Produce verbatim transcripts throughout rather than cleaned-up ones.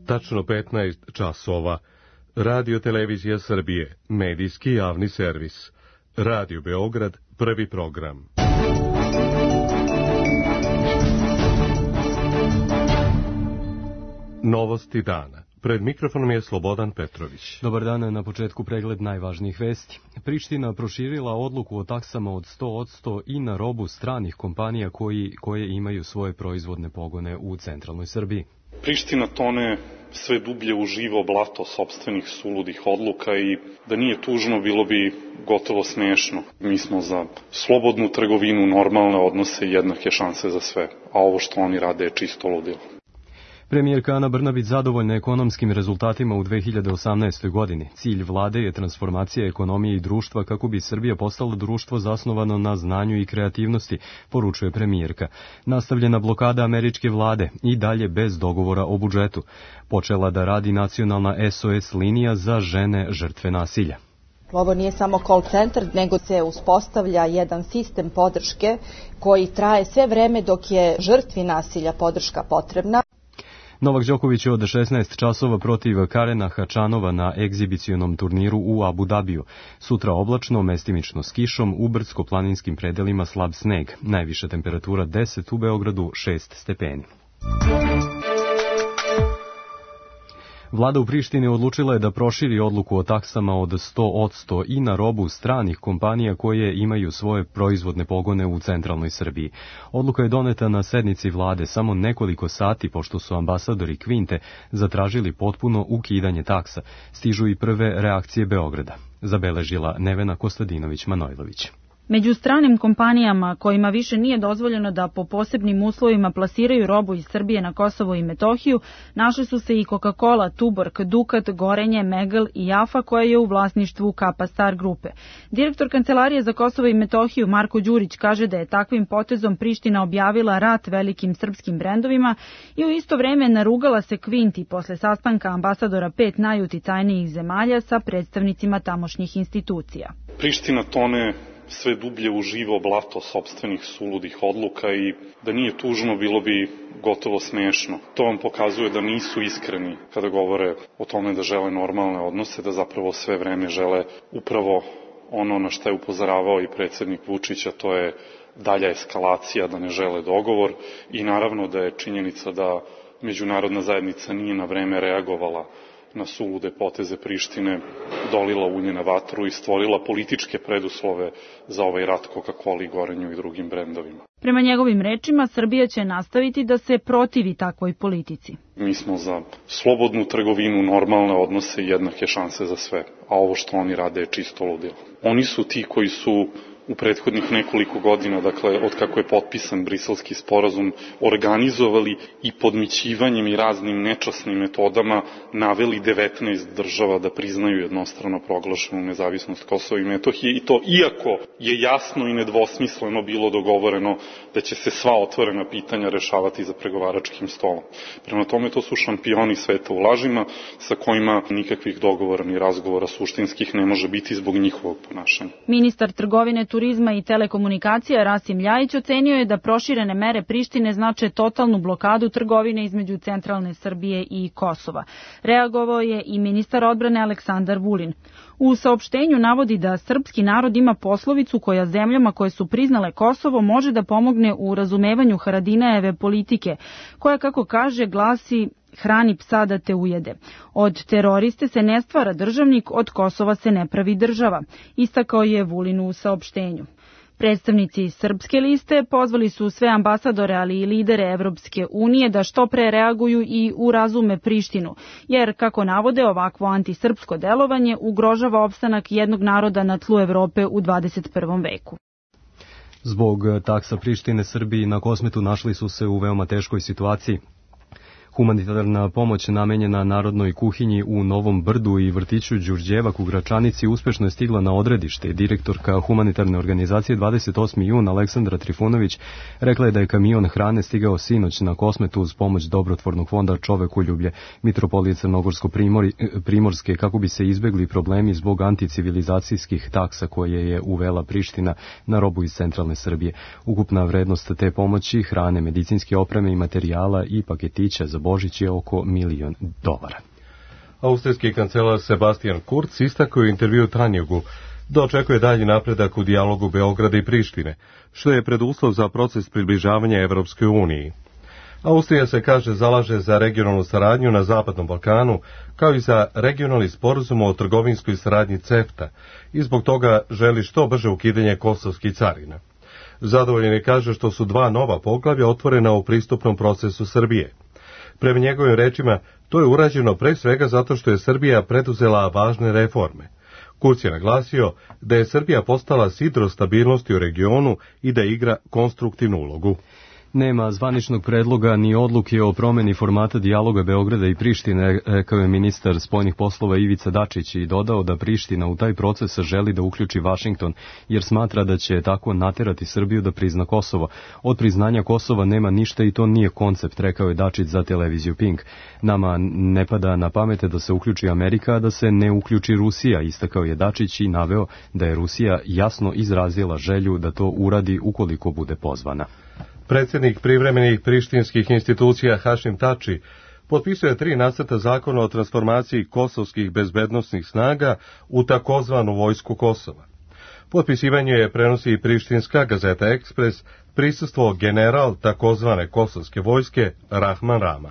Tačno petnaest časova. Radio Televizija Srbije, medijski javni servis. Radio Beograd, prvi program. Novosti dana. Pred mikrofonom je Slobodan Petrović. Dobar dan, na početku pregled najvažnijih vesti. Priština proširila odluku o taksama od sto posto i na robu stranih kompanija koji, koje imaju svoje proizvodne pogone u centralnoj Srbiji. Priština tone sve dublje u živo blato sopstvenih suludih odluka i da nije tužno bilo bi gotovo smešno. Mi smo za slobodnu trgovinu, normalne odnose i jednake šanse za sve, a ovo što oni rade je čisto ludilo. Premijerka Ana Brnabić zadovoljna ekonomskim rezultatima u dve hiljade osamnaestoj. godini. Cilj vlade je transformacija ekonomije i društva kako bi Srbija postala društvo zasnovano na znanju i kreativnosti, poručuje premijerka. Nastavljena blokada američke vlade i dalje bez dogovora o budžetu. Počela da radi nacionalna S O S linija za žene žrtve nasilja. Ovo nije samo call center, nego se uspostavlja jedan sistem podrške koji traje sve vreme dok je žrtvi nasilja podrška potrebna. Novak Đoković je od šesnaest časova protiv Karena Hačanova na egzibicionom turniru u Abu Dabiju. Sutra oblačno, mestimično s kišom, u brdsko-planinskim predelima slab sneg. Najviša temperatura deset, u Beogradu šest stepeni. Vlada u Prištini odlučila je da proširi odluku o taksama od sto posto i na robu stranih kompanija koje imaju svoje proizvodne pogone u centralnoj Srbiji. Odluka je doneta na sednici vlade samo nekoliko sati pošto su ambasadori Kvinte zatražili potpuno ukidanje taksa. Stižu i prve reakcije Beograda. Zabeležila Nevena Kostadinović-Manojlović. Među stranim kompanijama kojima više nije dozvoljeno da po posebnim uslovima plasiraju robu iz Srbije na Kosovo i Metohiju, našli su se i Coca-Cola, Tuborg, Dukat, Gorenje, Megel i Jafa koja je u vlasništvu Kapa Star grupe. Direktor Kancelarije za Kosovo i Metohiju Marko Đurić kaže da je takvim potezom Priština objavila rat velikim srpskim brendovima i u isto vreme narugala se Kvinti posle sastanka ambasadora pet najuticajnijih zemalja sa predstavnicima tamošnjih institucija. Priština tone sve dublje u živo blato sopstvenih suludih odluka i da nije tužno bilo bi gotovo smešno. To vam pokazuje da nisu iskreni kada govore o tome da žele normalne odnose, da zapravo sve vreme žele upravo ono na što je upozoravao i predsjednik Vučić, a to je dalja eskalacija, da ne žele dogovor i naravno da je činjenica da međunarodna zajednica nije na vreme reagovala na sulude poteze Prištine, dolila ulje na vatru i stvorila političke preduslove za ovaj rat Coca-Coli, Gorenju i drugim brendovima. Prema njegovim rečima, Srbija će nastaviti da se protivi takvoj politici. Mi smo za slobodnu trgovinu, normalne odnose i jednake šanse za sve, a ovo što oni rade je čisto ludilo. Oni su ti koji su u prethodnih nekoliko godina, dakle, od kako je potpisan Briselski sporazum, organizovali i podmićivanjem i raznim nečasnim metodama naveli devetnaest država da priznaju jednostrano proglašenu nezavisnost Kosova i Metohije, i to iako je jasno i nedvosmisleno bilo dogovoreno da će se sva otvorena pitanja rešavati za pregovaračkim stolom. Prema tome, to su šampioni sveta u lažima sa kojima nikakvih dogovora ni razgovora suštinskih ne može biti zbog njihovog ponašanja. Ministar trgovine, turizma i telekomunikacija Rasim Ljajić ocenio je da proširene mere Prištine znače totalnu blokadu trgovine između centralne Srbije i Kosova. Reagovao je i ministar odbrane Aleksandar Vulin. U saopštenju navodi da srpski narod ima poslovicu koja zemljama koje su priznale Kosovo može da pomogne u razumevanju Haradinajeve politike, koja, kako kaže, glasi: hrani psa da te ujede. Od teroriste se ne stvara državnik, od Kosova se ne pravi država, istakao je Vulin u saopštenju. Predstavnici srpske liste pozvali su sve ambasadore, ali i lidere Evropske unije da što pre reaguju i urazume Prištinu, jer, kako navode, ovakvo antisrpsko delovanje ugrožava opstanak jednog naroda na tlu Evrope u dvadeset prvom veku. Zbog taksa Prištine, Srbiji na Kosmetu našli su se u veoma teškoj situaciji. Humanitarna pomoć namenjena narodnoj kuhinji u Novom Brdu i vrtiću Đurđevak u Gračanici uspešno je stigla na odredište. Direktorka humanitarne organizacije dvadeset osmi jun Aleksandra Trifunović rekla je da je kamion hrane stigao sinoć na Kosmetu uz pomoć dobrotvornog fonda Čovekoljublje Mitropolije Crnogorsko-Primorske kako bi se izbegli problemi zbog anticivilizacijskih taksa koje je uvela Priština na robu iz centralne Srbije. Ukupna vrednost te pomoći, hrane, medicinske opreme i materijala i paketića za Božić je oko milion dolara. Austrijski kancelar Sebastian Kurz istakao u intervju Tanjugu da očekuje dalji napredak u dijalogu Beograda i Prištine, što je preduslov za proces približavanja Evropskoj uniji. Austrija se, kaže, zalaže za regionalnu saradnju na Zapadnom Balkanu, kao i za regionalni sporazum o trgovinskoj saradnji CEFTA i zbog toga želi što brže ukidanje kosovskih carina. Zadovoljen je, kaže, što su dva nova poglavlja otvorena u pristupnom procesu Srbije. Prema njegovim rečima, to je urađeno pre svega zato što je Srbija preduzela važne reforme. Kurz je naglasio da je Srbija postala sidro stabilnosti u regionu i da igra konstruktivnu ulogu. Nema zvaničnog predloga ni odluke o promeni formata dijaloga Beograda i Prištine, rekao je ministar spoljnih poslova Ivica Dačić i dodao da Priština u taj proces želi da uključi Vašington, jer smatra da će tako naterati Srbiju da prizna Kosovo. Od priznanja Kosova nema ništa i to nije koncept, rekao je Dačić za televiziju Pink. Nama ne pada na pamet da se uključi Amerika, a da se ne uključi Rusija, istakao je Dačić i naveo da je Rusija jasno izrazila želju da to uradi ukoliko bude pozvana. Predsjednik privremenih prištinskih institucija Hašim Tači potpisuje tri nacrta zakona o transformaciji kosovskih bezbednosnih snaga u takozvanu vojsku Kosova. Potpisivanje je prenosi i prištinska gazeta Ekspres, prisustvo general takozvane kosovske vojske Rahman Rama.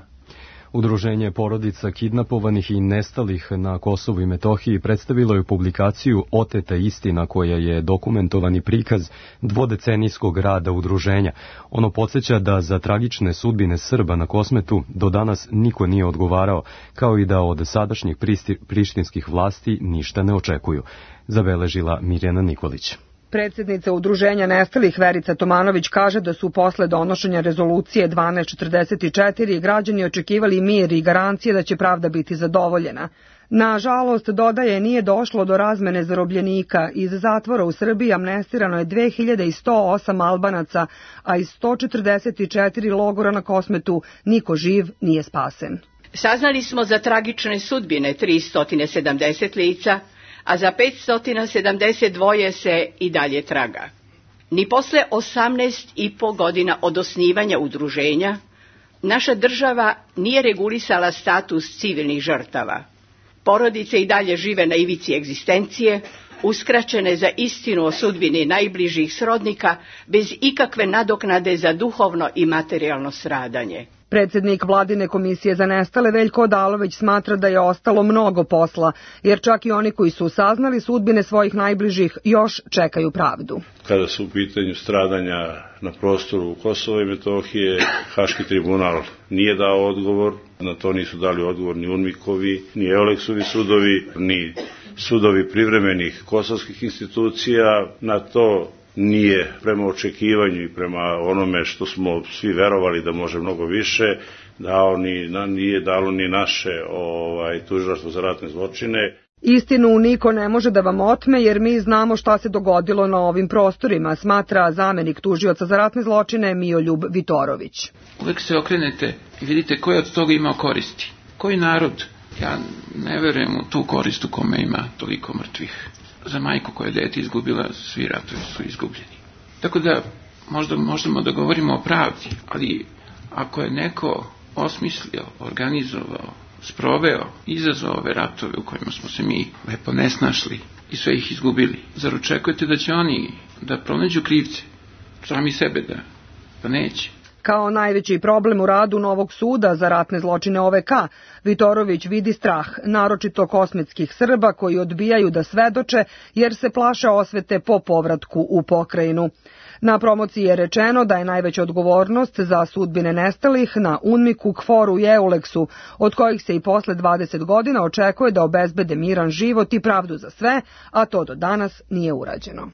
Udruženje porodica kidnapovanih i nestalih na Kosovu i Metohiji predstavilo je publikaciju Oteta istina, koja je dokumentovani prikaz dvodecenijskog rada udruženja. Ono podsjeća da za tragične sudbine Srba na Kosmetu do danas niko nije odgovarao, kao i da od sadašnjih prištinskih vlasti ništa ne očekuju, zabeležila Mirjana Nikolić. Predsjednica udruženja nestalih Verica Tomanović kaže da su posle donošenja rezolucije dvanaest četrdeset četiri građani očekivali mir i garancije da će pravda biti zadovoljena. Nažalost, dodaje, nije došlo do razmene zarobljenika. Iz zatvora u Srbiji amnestirano je dve hiljade sto osam Albanaca, a iz sto četrdeset četiri logora na Kosmetu niko živ nije spasen. Saznali smo za tragične sudbine tristo sedamdeset lica, a za petsto sedamdeset dva se i dalje traga. Ni posle osamnaest i po godina od osnivanja udruženja, naša država nije regulisala status civilnih žrtava. Porodice i dalje žive na ivici egzistencije, uskraćene za istinu o sudbini najbližih srodnika, bez ikakve nadoknade za duhovno i materijalno stradanje. Predsjednik Vladine komisije za nestale Veljko Odalović smatra da je ostalo mnogo posla, jer čak i oni koji su saznali sudbine svojih najbližih još čekaju pravdu. Kada su u pitanju stradanja na prostoru Kosova i Metohije, Haški tribunal nije dao odgovor, na to nisu dali odgovor ni UNMIK-ovi, ni Euleksovi sudovi, ni sudovi privremenih kosovskih institucija, na to nije prema očekivanju i prema onome što smo svi verovali da može mnogo više, dao ni, nije dalo ni naše ovaj, tužilaštvo za ratne zločine. Istinu niko ne može da vam otme, jer mi znamo šta se dogodilo na ovim prostorima, smatra zamenik tužioca za ratne zločine Mijoljub Vitorović. Uvek se okrenete i vidite ko je od toga imao koristi. Koji narod? Ja ne verujem u tu korist u kome ima toliko mrtvih. Za majku koja je dete izgubila, svi ratovi su izgubljeni. Tako da možda možemo da govorimo o pravdi, ali ako je neko osmislio, organizovao, sproveo, izazvao ove ratove u kojima smo se mi lepo nesnašli i sve ih izgubili, zar očekujete da će oni da pronađu krivce, sami sebe da, pa neće. Kao najveći problem u radu novog suda za ratne zločine O V K, Vitorović vidi strah, naročito kosmetskih Srba koji odbijaju da svedoče jer se plaše osvete po povratku u pokrajinu. Na promociji je rečeno da je najveća odgovornost za sudbine nestalih na UNMIK-u, KFOR-u i Euleksu, od kojih se i posle dvadeset godina očekuje da obezbede miran život i pravdu za sve, a to do danas nije urađeno.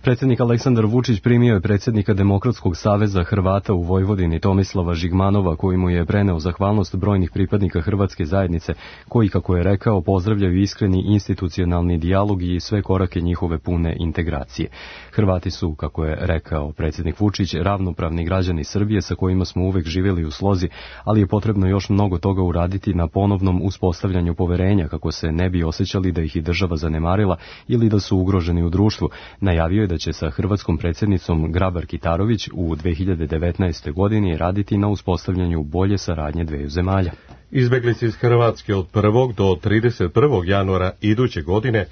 Predsjednik Aleksandar Vučić primio je predsjednika Demokratskog saveza Hrvata u Vojvodini Tomislava Žigmanova, koji mu je preneo zahvalnost brojnih pripadnika hrvatske zajednice, koji, kako je rekao, pozdravljaju iskreni institucionalni dijalog i sve korake njihove pune integracije. Hrvati su, kako je rekao predsjednik Vučić, ravnopravni građani Srbije sa kojima smo uvek živjeli u slozi, ali je potrebno još mnogo toga uraditi na ponovnom uspostavljanju poverenja, kako se ne bi osjećali da ih i država zanemarila ili da su ugroženi u društvu. Najavio je da će sa hrvatskom predsjednicom Grabar-Kitarović u dve hiljade devetnaestoj. godini raditi na uspostavljanju bolje saradnje dveju zemalja. Izbeglice iz Hrvatske od prvog do trideset prvog januara iduće godine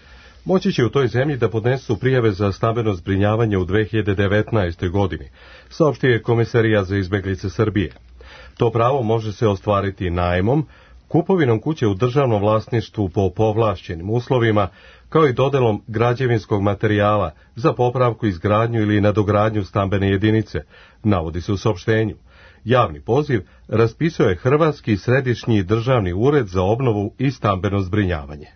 moći će u toj zemlji da podnesu prijave za stambeno zbrinjavanje u dve hiljade devetnaestoj. godini, saopštio je Komesarijat za izbeglice Srbije. To pravo može se ostvariti najmom, kupovinom kuće u državnom vlasništvu po povlašćenim uslovima, kao i dodelom građevinskog materijala za popravku, izgradnju ili nadogradnju stambene jedinice, navodi se u saopštenju. Javni poziv raspisao je Hrvatski središnji državni ured za obnovu i stambeno zbrinjavanje.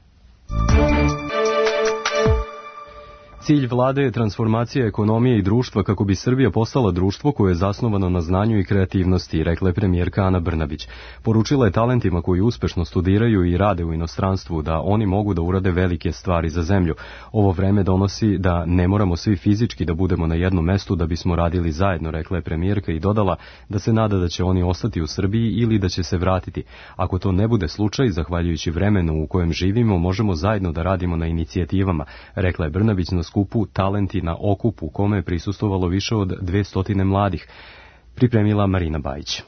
Cilj vlade je transformacija ekonomije i društva kako bi Srbija postala društvo koje je zasnovano na znanju i kreativnosti, rekla je premijerka Ana Brnabić. Poručila je talentima koji uspešno studiraju i rade u inostranstvu da oni mogu da urade velike stvari za zemlju. Ovo vreme donosi da ne moramo svi fizički da budemo na jednom mestu da bismo radili zajedno, rekla je premijerka i dodala da se nada da će oni ostati u Srbiji ili da će se vratiti. Ako to ne bude slučaj, zahvaljujući vremenu u kojem živimo, možemo zajedno da radimo na inicijativama, rekla je Brnabić na skupu Talenti na okupu, kome je prisustvovalo više od dvesta mladih, pripremila Marina Bajić.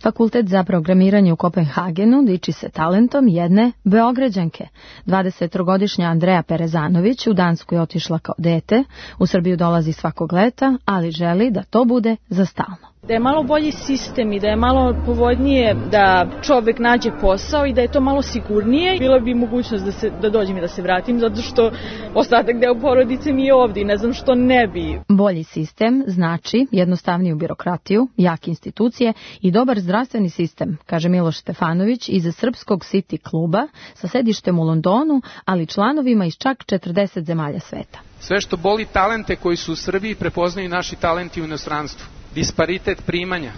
Fakultet za programiranje u Kopenhagenu diči se talentom jedne Beograđanke. dvadesettrogodišnja Andreja Perezanović u Dansku je otišla kao dete, u Srbiju dolazi svakog leta, ali želi da to bude za stalno. Da je malo bolji sistem i da je malo povoljnije da čovek nađe posao i da je to malo sigurnije, bila bi mogućnost da, se, da dođem i da se vratim, zato što ostatak deo porodice mi je ovdje i ne znam što ne bi. Bolji sistem znači jednostavniju birokratiju, jake institucije i dobar zdravstveni sistem, kaže Miloš Stefanović iz Srpskog City kluba sa sedištem u Londonu, ali članovima iz čak četrdeset zemalja sveta. Sve što boli talente koji su u Srbiji prepoznaju naši talenti u inostranstvu. Disparitet primanja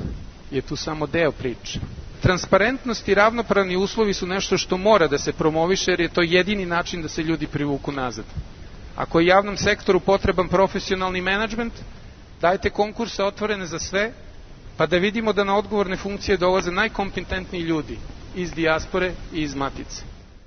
je tu samo deo priče. Transparentnost i ravnopravni uslovi su nešto što mora da se promoviše jer je to jedini način da se ljudi privuku nazad. Ako je javnom sektoru potreban profesionalni menadžment, dajte konkurse otvorene za sve, pa da vidimo da na odgovorne funkcije dolaze najkompetentniji ljudi iz dijaspore i iz matice.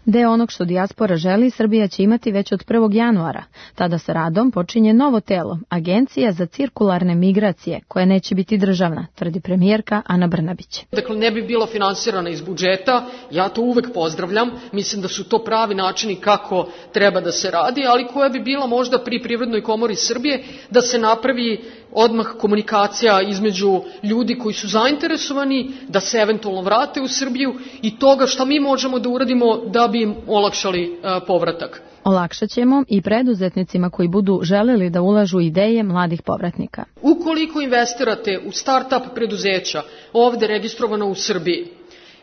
Deo onog što dijaspora želi, Srbija će imati već od prvog januara. Tada sa radom počinje novo telo, Agencija za cirkularne migracije, koja neće biti državna, tvrdi premijerka Ana Brnabić. Dakle, ne bi bila finansirana iz budžeta, ja to uvek pozdravljam, mislim da su to pravi načini kako treba da se radi, ali koja bi bila možda pri Privrednoj komori Srbije da se napravi odmah komunikacija između ljudi koji su zainteresovani da se eventualno vrate u Srbiju i toga šta mi možemo da uradimo da bi im olakšali uh, povratak. Olakšat ćemo i preduzetnicima koji budu želeli da ulažu ideje mladih povratnika. Ukoliko investirate u start-up preduzeća ovde registrovano u Srbiji,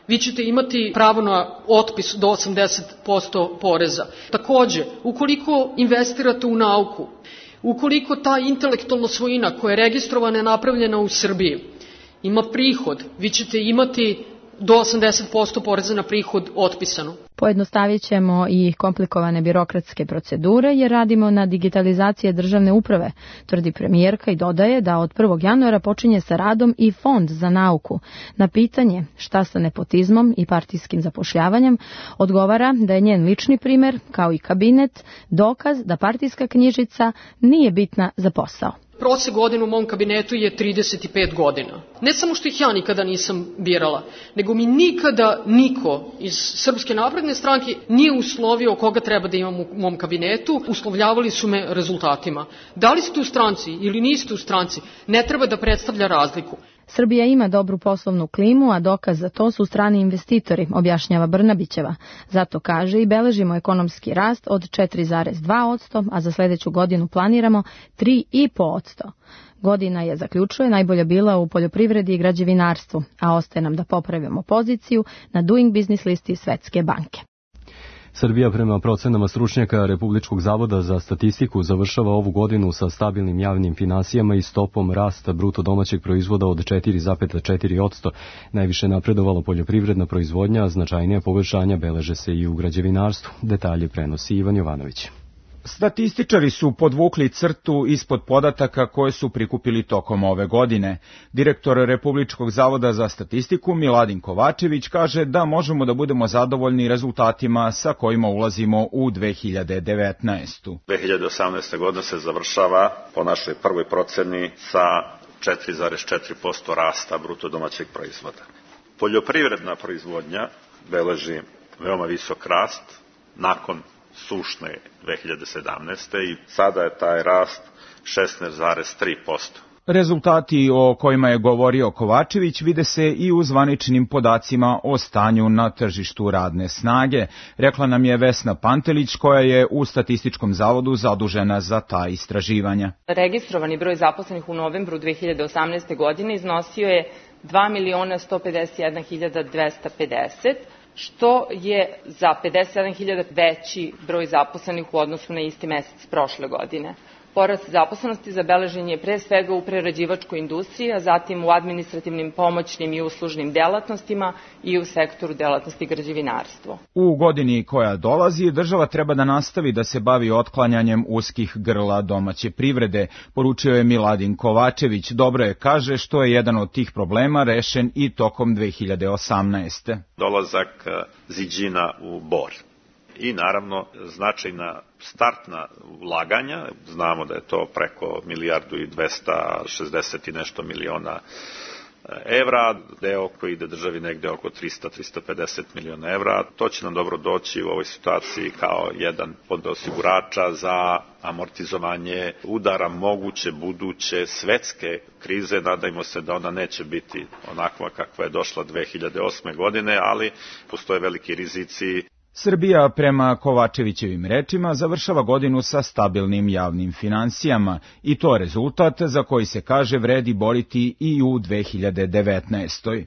vi ćete imati pravo na otpis do osamdeset posto poreza. Takođe, ukoliko investirate u nauku, ukoliko ta intelektualna svojina koja je registrovana i napravljena u Srbiji ima prihod, vi ćete imati do osamdeset posto poreza na prihod otpisano. Pojednostavit ćemo i komplikovane birokratske procedure jer radimo na digitalizaciji državne uprave, tvrdi premijerka i dodaje da od prvog januara počinje sa radom i Fond za nauku. Na pitanje šta sa nepotizmom i partijskim zapošljavanjem odgovara da je njen lični primer, kao i kabinet, dokaz da partijska knjižica nije bitna za posao. Prosek godina u mom kabinetu je trideset pet godina. Ne samo što ih ja nikada nisam birala, nego mi nikada niko iz Srpske napredne stranke nije uslovio koga treba da imam u mom kabinetu. Uslovljavali su me rezultatima. Da li ste u stranci ili niste u stranci, ne treba da predstavlja razliku. Srbija ima dobru poslovnu klimu, a dokaz za to su strani investitori, objašnjava Brnabićeva. Zato kaže i beležimo ekonomski rast od četiri zarez dva posto, a za sledeću godinu planiramo tri zarez pet posto. Godina je, zaključuje, najbolja bila u poljoprivredi i građevinarstvu, a ostaje nam da popravimo poziciju na Doing Business listi Svetske banke. Srbija prema procenama stručnjaka Republičkog zavoda za statistiku završava ovu godinu sa stabilnim javnim finansijama i stopom rasta bruto domaćeg proizvoda od četiri zarez četiri posto. Najviše napredovala poljoprivredna proizvodnja, a značajnija poboljšanja beleže se i u građevinarstvu. Detalje prenosi Ivan Jovanović. Statističari su podvukli crtu ispod podataka koje su prikupili tokom ove godine. Direktor Republičkog zavoda za statistiku Miladin Kovačević kaže da možemo da budemo zadovoljni rezultatima sa kojima ulazimo u dve hiljade devetnaestu. dve hiljade osamnaesta. godina se završava po našoj prvoj proceni sa četiri zarez četiri posto rasta bruto domaćeg proizvoda. Poljoprivredna proizvodnja beleži veoma visok rast nakon sušne dve hiljade sedamnaeste. i sada je taj rast šesnaest zarez tri posto. Rezultati o kojima je govorio Kovačević vide se i u zvaničnim podacima o stanju na tržištu radne snage, rekla nam je Vesna Pantelić koja je u Statističkom zavodu zadužena za ta istraživanja. Registrovani broj zaposlenih u novembru dve hiljade osamnaeste. godine iznosio je dva miliona sto pedeset jedna hiljada dvesta pedeset, što je za pedeset sedam hiljada veći broj zaposlenih u odnosu na isti mesec prošle godine. Porast zaposlenosti zabeležen je pre svega u prerađivačkoj industriji, a zatim u administrativnim, pomoćnim i uslužnim delatnostima i u sektoru delatnosti građevinarstvo. U godini koja dolazi, država treba da nastavi da se bavi otklanjanjem uskih grla domaće privrede, poručio je Miladin Kovačević. Dobro je, kaže, što je jedan od tih problema rešen i tokom dve hiljade osamnaeste. Dolazak Ziđina u Bor. I naravno značajna startna ulaganja, znamo da je to preko milijardu i dvesta šezdeset i nešto miliona evra, deo koji ide državi negde oko trista do trista pedeset miliona evra. To će nam dobro doći u ovoj situaciji kao jedan od osigurača za amortizovanje udara moguće buduće svetske krize. Nadajmo se da ona neće biti onakva kakva je došla dve hiljade osme. godine, ali postoje veliki rizici. Srbija, prema Kovačevićevim rečima, završava godinu sa stabilnim javnim finansijama i to rezultat za koji se kaže vredi boriti i u dve hiljade devetnaestoj.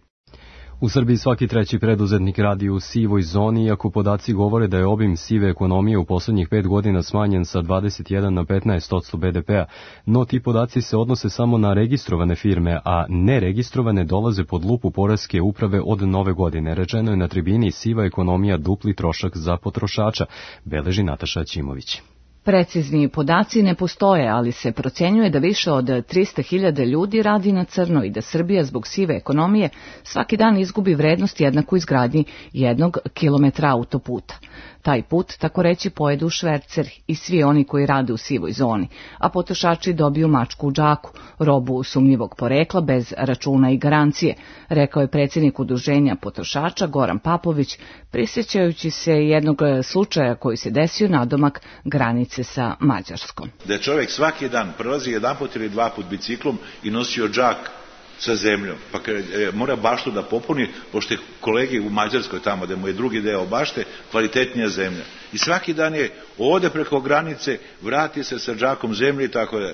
U Srbiji svaki treći preduzetnik radi u sivoj zoni, iako podaci govore da je obim sive ekonomije u poslednjih pet godina smanjen sa dvadeset jedan na petnaest posto be de pea, no ti podaci se odnose samo na registrovane firme, a neregistrovane dolaze pod lupu poreske uprave od nove godine. Rečeno je na tribini siva ekonomija dupli trošak za potrošača, beleži Nataša Ćimović. Precizni podaci ne postoje, ali se procenjuje da više od trista hiljada ljudi radi na crno i da Srbija zbog sive ekonomije svaki dan izgubi vrednost jednaku izgradnji jednog kilometra autoputa. Taj put, tako reći, pojedu šverceri i svi oni koji rade u sivoj zoni, a potrošači dobiju mačku u džaku, robu sumnjivog porekla bez računa i garancije, rekao je predsjednik udruženja potrošača Goran Papović, prisjećajući se jednog slučaja koji se desio nadomak granice sa Mađarskom. Da je čovjek svaki dan prelazi jedan put ili dva put biciklom i nosio džak sa zemljom, pa e, mora baštu da popuni, pošto je kolegi u Mađarskoj tamo, da mu je drugi deo bašte, kvalitetnija zemlja. I svaki dan je ode preko granice, vrati se sa džakom zemlje i tako da.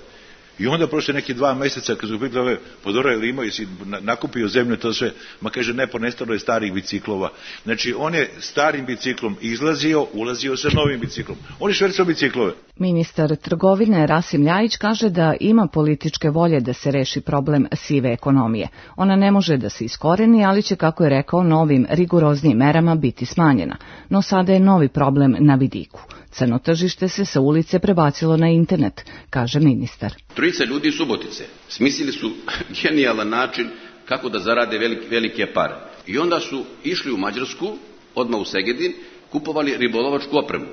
I onda prošle neki dva meseca, kad su pitali, pa dobro, ili imao si nakupio zemlju, to sve, ma kaže, ne, ponestalo je starih biciklova. Znači, on je starim biciklom izlazio, ulazio sa novim biciklom. On je švercao biciklove. Ministar trgovine Rasim Ljajić kaže da ima političke volje da se reši problem sive ekonomije. Ona ne može da se iskoreni, ali će, kako je rekao, novim rigoroznijim merama biti smanjena. No sada je novi problem na vidiku. Crno tržište se sa ulice prebacilo na internet, kaže ministar. Trojica ljudi iz Subotice smislili su genijalan način kako da zarade velike, velike pare. I onda su išli u Mađarsku, odmah u Segedin, kupovali ribolovačku opremu.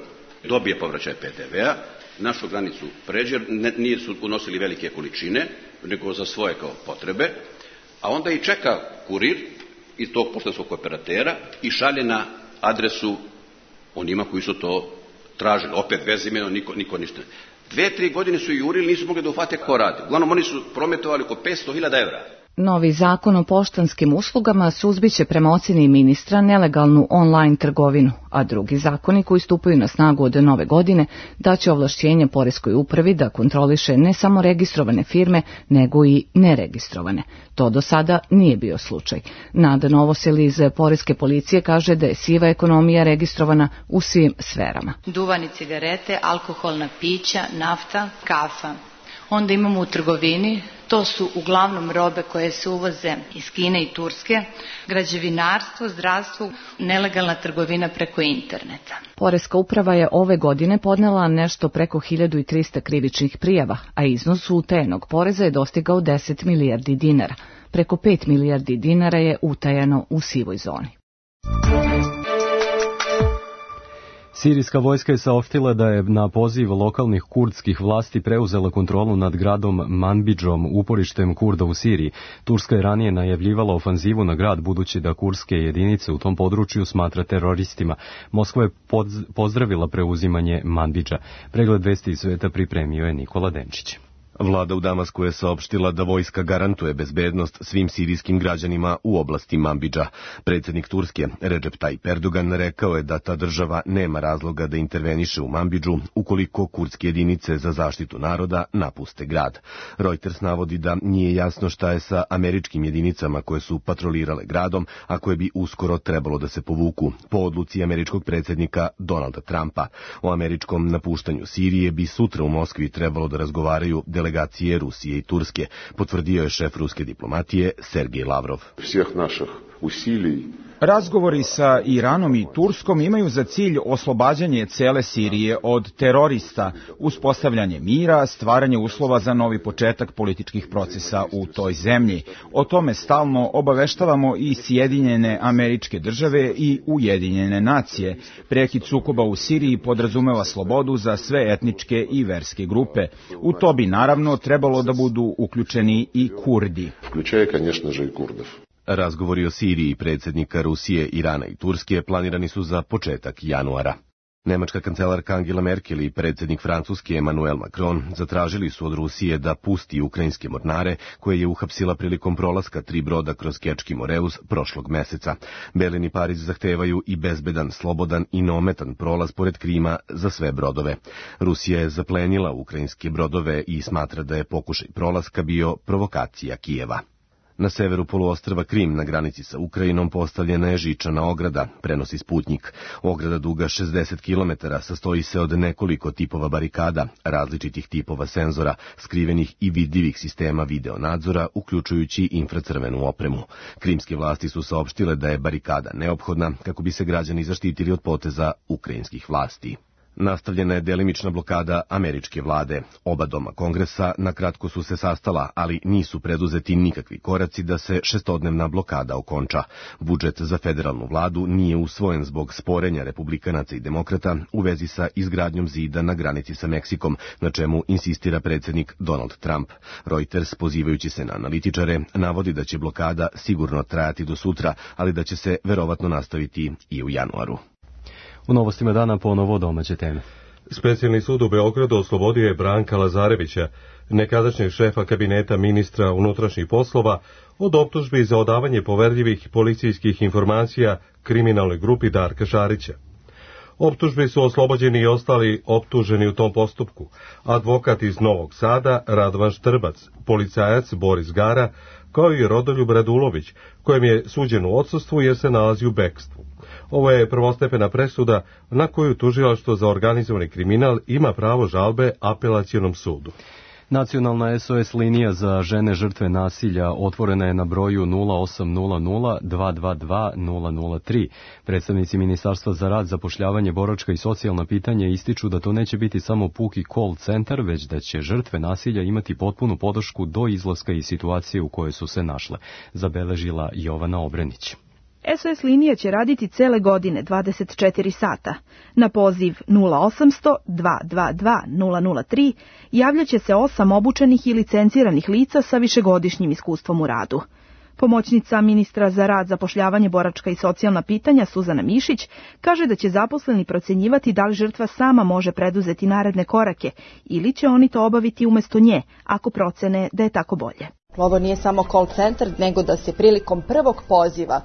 Dobije povraćaj pe te vea, našu granicu pređe, ne, nije su unosili velike količine, nego za svoje kao potrebe, a onda i čeka kurir iz tog poštanskog operatera i šalje na adresu onima koji su to tražili. Opet bez imena, niko, niko ništa. Dve, tri godine su jurili, nisu mogli da ufate ko radi. Uglavnom, oni su prometovali oko petsto hiljada evra. Novi zakon o poštanskim uslugama suzbiće prema oceni ministra nelegalnu online trgovinu, a drugi zakoni koji stupaju na snagu od nove godine daće ovlašćenje poreskoj upravi da kontroliše ne samo registrovane firme, nego i neregistrovane. To do sada nije bio slučaj. Nada Novosel iz poreske policije kaže da je siva ekonomija registrovana u svim sferama. Duvan i cigarete, alkoholna pića, nafta, kafa. Onda imamo u trgovini, to su uglavnom robe koje se uvoze iz Kine i Turske, građevinarstvo, zdravstvo, nelegalna trgovina preko interneta. Poreska uprava je ove godine podnela nešto preko hiljadu trista krivičnih prijava, a iznos utajenog poreza je dostigao deset milijardi dinara. Preko pet milijardi dinara je utajano u sivoj zoni. Sirijska vojska je saopštila da je na poziv lokalnih kurdskih vlasti preuzela kontrolu nad gradom Manbidžom, uporištem Kurda u Siriji. Turska je ranije najavljivala ofanzivu na grad, budući da kurdske jedinice u tom području smatra teroristima. Moskva je pozdravila preuzimanje Manbidža. Pregled vesti iz sveta pripremio je Nikola Denčić. Vlada u Damasku je saopštila da vojska garantuje bezbednost svim sirijskim građanima u oblasti Manbidža. Predsjednik Turske, Recep Tayyip Erdogan, rekao je da ta država nema razloga da interveniše u Manbidžu ukoliko kurdske jedinice za zaštitu naroda napuste grad. Reuters navodi da nije jasno šta je sa američkim jedinicama koje su patrolirale gradom, a koje bi uskoro trebalo da se povuku, po odluci američkog predsjednika Donalda Trumpa. O američkom napuštanju Sirije bi sutra u Moskvi trebalo da razgovaraju delegacije Rusije i Turske, potvrdio je šef ruske diplomatije Sergej Lavrov. Razgovori sa Iranom i Turskom imaju za cilj oslobađanje cele Sirije od terorista, uspostavljanje mira, stvaranje uslova za novi početak političkih procesa u toj zemlji. O tome stalno obaveštavamo i Sjedinjene Američke Države i Ujedinjene nacije. Prekid sukoba u Siriji podrazumeva slobodu za sve etničke i verske grupe. U to bi naravno trebalo da budu uključeni i Kurdi. Vključuje, конечно же, i Kurdov. Razgovori o Siriji predsjednika Rusije, Irana i Turske planirani su za početak januara. Nemačka kancelarka Angela Merkel i predsjednik Francuske Emmanuel Macron zatražili su od Rusije da pusti ukrajinske mornare koje je uhapsila prilikom prolaska tri broda kroz Kerčki Moreus prošlog meseca. Berlin i Pariz zahtevaju i bezbedan, slobodan i neometan prolaz pored Krima za sve brodove. Rusija je zaplenila ukrajinske brodove i smatra da je pokušaj prolaska bio provokacija Kijeva. Na severu poluostrva Krim, na granici sa Ukrajinom, postavljena je žičana ograda, prenosi Sputnjik. Ograda duga šezdeset kilometara sastoji se od nekoliko tipova barikada, različitih tipova senzora, skrivenih i vidljivih sistema videonadzora, uključujući infracrvenu opremu. Krimske vlasti su saopštile da je barikada neophodna kako bi se građani zaštitili od poteza ukrajinskih vlasti. Nastavljena je delimična blokada američke vlade. Oba doma kongresa nakratko su se sastala, ali nisu preduzeti nikakvi koraci da se šestodnevna blokada okonča. Budžet za federalnu vladu nije usvojen zbog sporenja republikanaca i demokrata u vezi sa izgradnjom zida na granici sa Meksikom, na čemu insistira predsjednik Donald Trump. Reuters, pozivajući se na analitičare, navodi da će blokada sigurno trajati do sutra, ali da će se verovatno nastaviti i u januaru. U novostima dana ponovo domaće teme. Specijalni sud u Beogradu oslobodio je Branka Lazarevića, nekadašnjeg šefa kabineta ministra unutrašnjih poslova, od optužbi za odavanje poverljivih policijskih informacija kriminalnoj grupi Darka Šarića. Optužbi su oslobođeni i ostali optuženi u tom postupku. Advokat iz Novog Sada Radovan Štrbac, policajac Boris Gara, kao i Rodoljub Radulović, kojem je suđen u odsustvu jer se nalazi u bekstvu. Ovo je prvostepena presuda na koju tužilaštvo za organizovani kriminal ima pravo žalbe apelacionom sudu. Nacionalna S O S linija za žene žrtve nasilja otvorena je na broju nula osam nula nula dva dva dva nula nula tri. Predstavnici Ministarstva za rad, zapošljavanje, boračka i socijalna pitanja ističu da to neće biti samo puki call centar, već da će žrtve nasilja imati potpunu podršku do izlaska iz situacije u kojoj su se našle, zabeležila Jovana Obrenić. S O S linija će raditi cele godine dvadeset četiri sata. Na poziv nula osamsto dva dva dva nula nula tri javljaće se osam obučenih i licenciranih lica sa višegodišnjim iskustvom u radu. Pomoćnica ministra za rad, zapošljavanje, boračka i socijalna pitanja Suzana Mišić kaže da će zaposleni procenjivati da li žrtva sama može preduzeti naredne korake ili će oni to obaviti umjesto nje, ako procene da je tako bolje. Ovo nije samo call centar, nego da se prilikom prvog poziva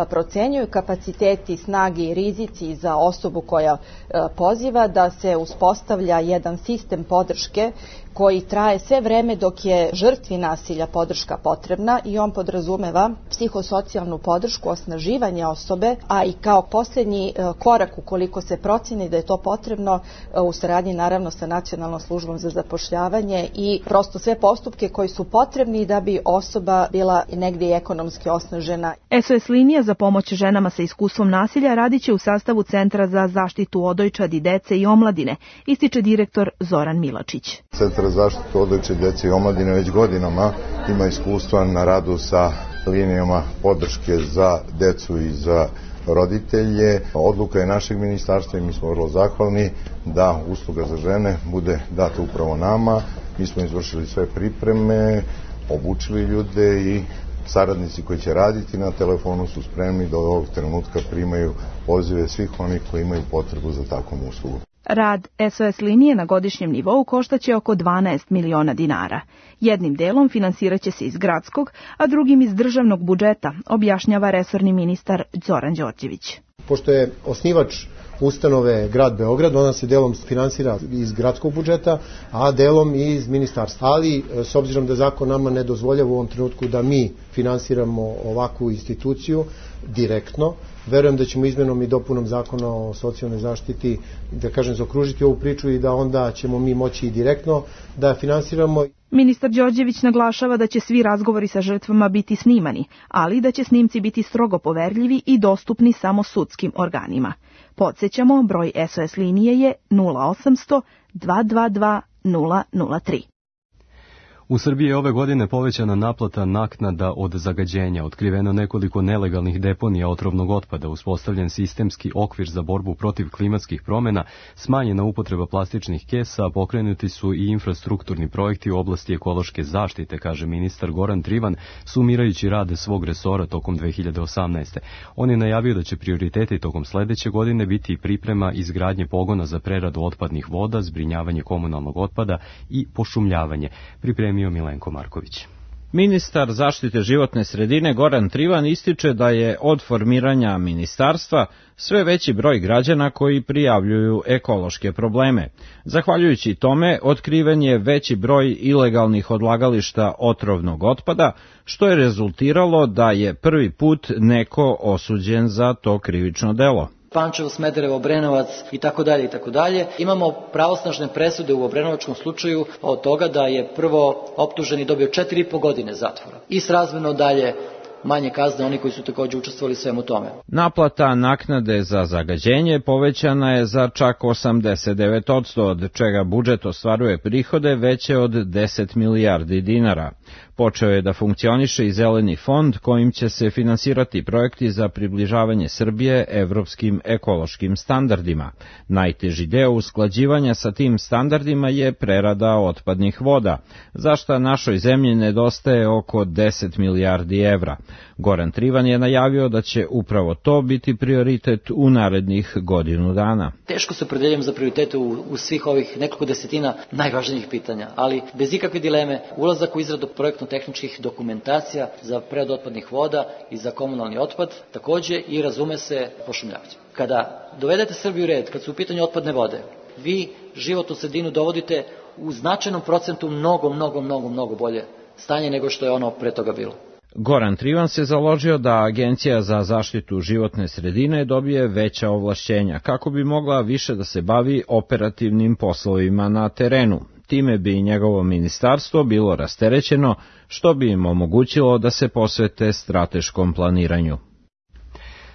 procenjuju kapaciteti, snage i rizici za osobu koja poziva, da se uspostavlja jedan sistem podrške koji traje sve vreme dok je žrtvi nasilja podrška potrebna i on podrazumeva psihosocijalnu podršku, osnaživanje osobe, a i kao posljednji korak ukoliko se proceni da je to potrebno u saradnji naravno sa Nacionalnom službom za zapošljavanje i prosto sve postupke koji su potrebni da bi osoba bila negdje ekonomski osnažena. S O S linija za pomoć ženama sa iskustvom nasilja radit će u sastavu Centra za zaštitu odojčadi, dece i omladine, ističe direktor Zoran Milačić. Centar za zaštitu odojčadi, dece i omladine već godinama ima iskustva na radu sa linijama podrške za decu i za roditelje. Odluka je našeg ministarstva i mi smo vrlo zahvalni da usluga za žene bude data upravo nama. Mi smo izvršili sve pripreme, obučili ljude i saradnici koji će raditi na telefonu su spremni da od ovog trenutka primaju pozive svih onih koji imaju potrebu za takvom uslugu. Rad S O S linije na godišnjem nivou koštaće oko dvanaest miliona dinara. Jednim delom finansiraće se iz gradskog, a drugim iz državnog budžeta, objašnjava resorni ministar Zoran Đorđević. Pošto je osnivač ustanove grad Beograd, ona se delom finansira iz gradskog budžeta, a delom i iz ministarstva. Ali, s obzirom da zakon nama ne dozvoljava u ovom trenutku da mi finansiramo ovakvu instituciju direktno, verujem da ćemo izmenom i dopunom zakona o socijalnoj zaštiti, da kažem, zaokružiti ovu priču i da onda ćemo mi moći i direktno da finansiramo. Ministar Đorđević naglašava da će svi razgovori sa žrtvama biti snimani, ali da će snimci biti strogo poverljivi i dostupni samo sudskim organima. Podsjećamo, broj S O S linije je nula osamsto dva dva dva nula nula tri. U Srbiji je ove godine povećana naplata naknada od zagađenja, otkriveno nekoliko nelegalnih deponija otrovnog otpada, uspostavljen sistemski okvir za borbu protiv klimatskih promjena, smanjena upotreba plastičnih kesa, a pokrenuti su i infrastrukturni projekti u oblasti ekološke zaštite, kaže ministar Goran Trivan, sumirajući rade svog resora tokom dve hiljade osamnaeste. On je najavio da će prioriteti tokom sledeće godine biti priprema izgradnje pogona za preradu otpadnih voda, zbrinjavanje komunalnog otpada i pošumljavanje. Pripremi Milenko Marković. Ministar zaštite životne sredine Goran Trivan ističe da je od formiranja ministarstva sve veći broj građana koji prijavljuju ekološke probleme. Zahvaljujući tome, otkriven je veći broj ilegalnih odlagališta otrovnog otpada, što je rezultiralo da je prvi put neko osuđen za to krivično delo. Pančevo, Smederevo, Obrenovac i tako dalje i tako dalje. Imamo pravosnažne presude u obrenovačkom slučaju od toga da je prvo optuženi dobio četiri i po godine zatvora i srazmjerno dalje manje kazne oni koji su također učestvovali svemu tome. Naplata naknade za zagađenje povećana je za čak osamdeset devet posto, od čega budžet ostvaruje prihode veće od deset milijardi dinara. Počeo je da funkcioniše i zeleni fond kojim će se finansirati projekti za približavanje Srbije evropskim ekološkim standardima. Najteži deo usklađivanja sa tim standardima je prerada otpadnih voda, za šta našoj zemlji nedostaje oko deset milijardi evra. Goran Trivan je najavio da će upravo to biti prioritet u narednih godinu dana. Teško se opredeljujem za prioritete u, u svih ovih nekoliko desetina najvažnijih pitanja, ali bez ikakve dileme ulazak u izradu projektno-tehničkih dokumentacija za preradu otpadnih voda i za komunalni otpad, takođe i razume se pošumljavanje. Kada dovedete Srbiju u red, kad su u pitanju otpadne vode, vi životnu sredinu dovodite u značajnom procentu mnogo, mnogo, mnogo, mnogo bolje stanje nego što je ono pre toga bilo. Goran Trivan se založio da Agencija za zaštitu životne sredine dobije veća ovlašćenja kako bi mogla više da se bavi operativnim poslovima na terenu. Time bi njegovo ministarstvo bilo rasterećeno, što bi im omogućilo da se posvete strateškom planiranju.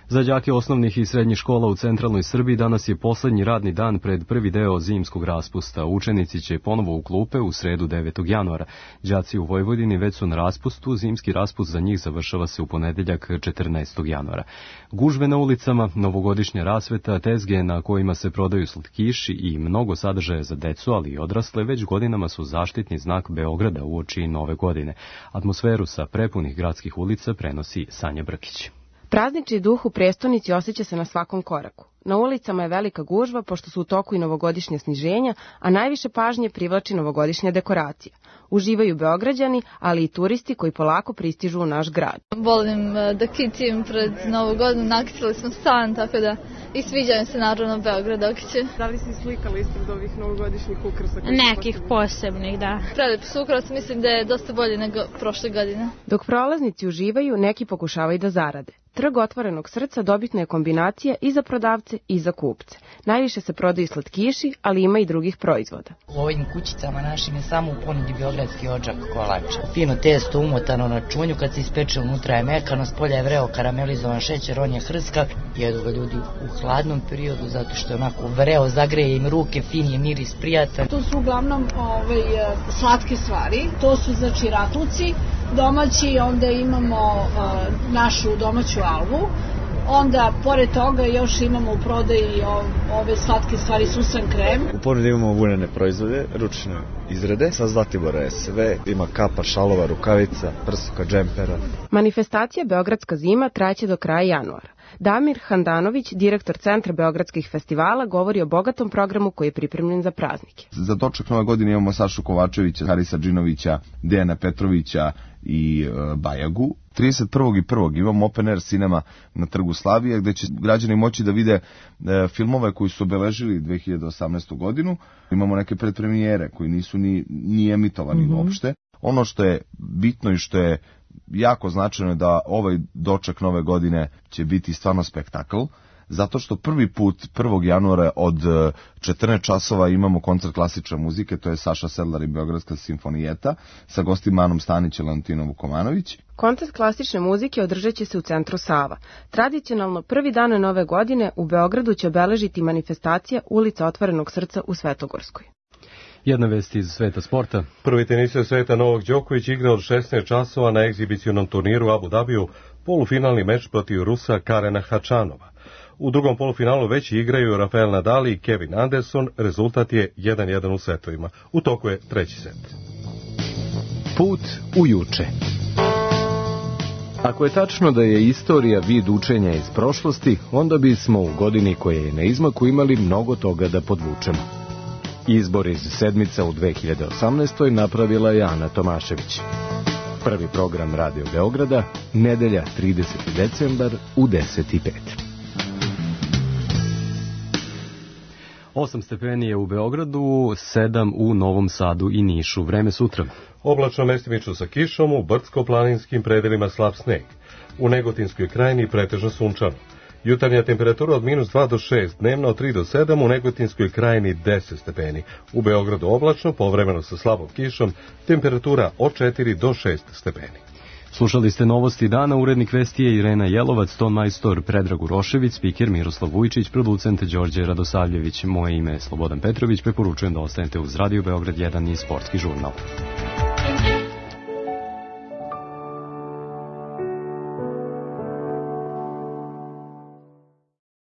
Za đake osnovnih i srednjih škola u centralnoj Srbiji danas je poslednji radni dan pred prvi deo zimskog raspusta. Učenici će ponovo u klupe u sredu devetog januara. Đaci u Vojvodini već su na raspustu, zimski raspust za njih završava se u ponedeljak četrnaestog januara. Gužve na ulicama, novogodišnja rasveta, tezge na kojima se prodaju slatkiši i mnogo sadržaja za decu, ali i odrasle, već godinama su zaštitni znak Beograda uoči nove godine. Atmosferu sa prepunih gradskih ulica prenosi Sanja Brkić. Praznični duh u prestonici osjeća se na svakom koraku. Na ulicama je velika gužva pošto su u toku i novogodišnje sniženja, a najviše pažnje privlači novogodišnja dekoracija. Uživaju Beograđani, ali i turisti koji polako pristižu u naš grad. Volim da kitim pred Novu godinu, nakitili smo stan, tako da i sviđaju se naravno Beograd okiće. Da li si slikali ispred ovih novogodišnjih ukrasa? Nekih posebnih, da. Prelep su ukras, mislim da je dosta bolje nego prošle godine. Dok prolaznici uživaju, neki pokušavaju da zarade. Trg otvorenog srca dobitna je kombinacija i za prodavce i za kupce. Najviše se prodaju slatkiši, ali ima i drugih proizvoda. U ovim kućicama našim je samo u ponudi beogradski odžak kolača. Fino testo umotano na čunju, kad se ispeče unutra je mekano, s polja je vreo karamelizovan šećer, on je hrskav. Jedu ga ljudi u hladnom periodu zato što je onako vreo, zagreje im ruke, fin je miris, prijatan. To su uglavnom ovaj, slatke stvari, to su znači ratluci domaći, onda imamo uh, našu domaću alvu, onda pored toga još imamo u prodaji ove slatke stvari susan krem. U ponudi imamo vunene proizvode, ručne izrade, sa Zlatibora je sve, ima kapa, šalova, rukavica, prsuka, džempera. Manifestacija Beogradska zima trajaće do kraja januara. Damir Handanović, direktor Centra beogradskih festivala, govori o bogatom programu koji je pripremljen za praznike. Za doček nove godine imamo Sašu Kovačevića, Harisa Džinovića, Dejana Petrovića i e, Bajagu. trideset prvog i prvog imamo Open Air Cinema na Trgu Slavije, gde će građani moći da vide e, filmove koji su obeležili dve hiljade osamnaestu godinu. Imamo neke predpremijere koji nisu ni, ni emitovani mm-hmm. uopšte. Ono što je bitno i što je jako značajno je da ovaj doček nove godine će biti stvarno spektakl, zato što prvi put prvog januara od četrnaest časova imamo koncert klasične muzike, to je Saša Sedlar i Beogradska simfonijeta, sa gostima Anom Stanić i Leontinom Vukomanović. Koncert klasične muzike održat će se u centru Sava. Tradicionalno prvi dan nove godine u Beogradu će obeležiti manifestacija Ulica otvorenog srca u Svetogorskoj. Jedna vest iz sveta sporta. Prvi tenisir sveta Novak Đoković igra od šesnaest časova na egzibicionom turniru Abu Dhabiju polufinalni meč protiv Rusa Karena Hačanova. U drugom polufinalu već igraju Rafael Nadal i Kevin Anderson, rezultat je jedan jedan u setovima. U toku je treći set. Put u juče. Ako je tačno da je istorija vid učenja iz prošlosti, onda bismo u godini koja je na izmaku imali mnogo toga da podvučemo. Izbor iz sedmica u dve hiljade osamnaestoj napravila je Ana Tomašević. Prvi program Radio Beograda, nedelja trideseti decembar u deset i pet. osam stepeni je u Beogradu, sedam u Novom Sadu i Nišu. Vreme sutra. Oblačno mestimično sa kišom, u brdsko-planinskim predelima slab sneg. U Negotinskoj krajini pretežno sunčano. Jutarnja temperatura od minus dva do šest, dnevno od tri do sedam, u Negotinskoj krajini deset stepeni. U Beogradu oblačno, povremeno sa slabom kišom, temperatura od četiri do šest stepeni. Slušali ste novosti dana, urednik vesti je Irena Jelovac, ton majstor Predrag Urošević, spiker Miroslav Vujčić, producent Đorđe Radosavljević. Moje ime je Slobodan Petrović, preporučujem da ostanete uz Radio Beograd jedan i Sportski žurnal.